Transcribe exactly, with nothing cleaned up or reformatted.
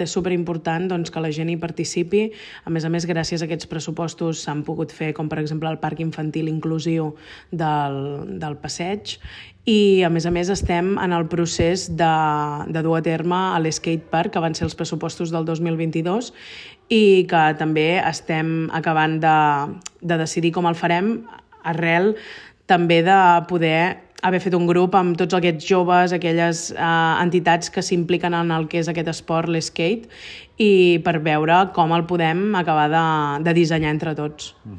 És superimportant doncs, que la gent hi participi. A més a més, gràcies a aquests pressupostos s'han pogut fer, com per exemple el parc infantil inclusiu del, del passeig, i a més a més estem en el procés de, de dur a terme a l'Skate Park, que van ser els pressupostos del dos mil vint-i-dos, i que també estem acabant de, de decidir com el farem, arrel també de poder haver fet un grup amb tots aquests joves, aquelles eh, entitats que s'impliquen en el que és aquest esport, l'skate, i per veure com el podem acabar de, de dissenyar entre tots. Mm.